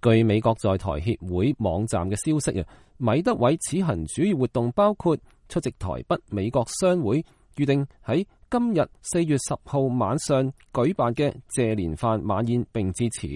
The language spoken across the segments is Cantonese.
據美國在台協會網站嘅消息，米德韋此行主要活動包括出席台北美國商會預定喺今日4月10號晚上舉辦嘅謝連飯晚宴，並致辭，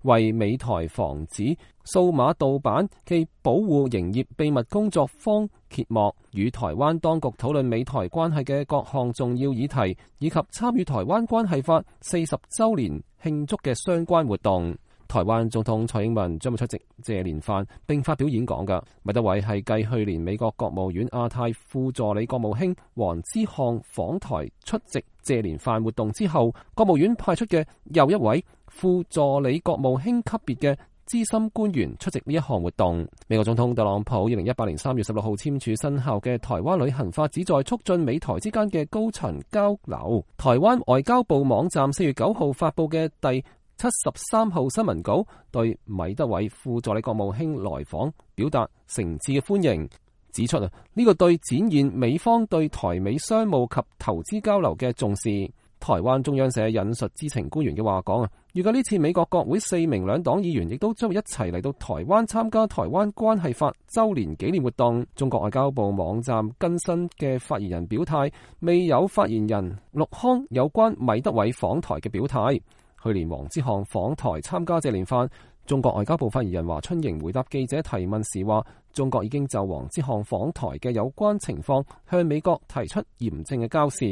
為美台防止數碼盜版暨保護營業秘密工作坊揭幕，與台灣當局討論美台關係嘅各項重要議題，以及參與台灣關係法40週年慶祝嘅相關活動。台灣總統蔡英文將會出席謝連飯並發表演講㗎。米德韋係繼去年美國國務院亞太副助理國務卿黃之沆訪台出席謝連飯活動之後，國務院派出嘅又一位副助理國務卿級別嘅資深官員出席呢一項活動。美國總統特朗普2018年3月16號簽署生效嘅台灣旅行法，旨在促進美台之間嘅高層交流。台灣外交部網站4月9號發布嘅第73號新聞稿對米德韋副助理國務卿來訪表達誠摯嘅歡迎，指出呢個對展現美方對台美商務及投資交流嘅重視。台灣中央社引述知情官員嘅話講，預計呢次美國國會4名兩黨議員亦都將會一齊嚟到台灣參加台灣關係法週年紀念活動。中國外交部網站更新嘅發言人表態，未有發言人陸康有關米德韋訪台嘅表態。去年黃之沆訪台參加謝連飯，中國外交部發言人華春瑩回答記者提問時話，中國已經就黃之沆訪台嘅有關情況向美國提出嚴正嘅交涉。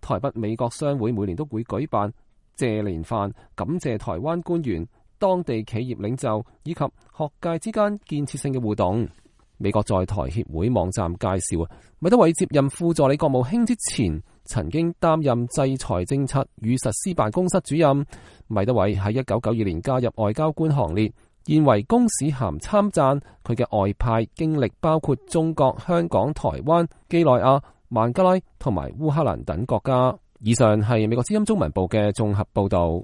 台北美國商會每年都會舉辦謝連飯，感謝台灣官員、當地企業領袖以及學界之間建設性嘅互動。美國在台協會網站介紹，米德韋接任副助理國務卿之前，曾經擔任制裁政策與實施辦公室主任。米德韋喺1992年加入外交官行列，現為公使銜參贊。佢嘅外派經歷包括中國、香港、台灣、幾內亞、孟加拉同埋烏克蘭等國家。以上係美國之音中文部嘅綜合報道。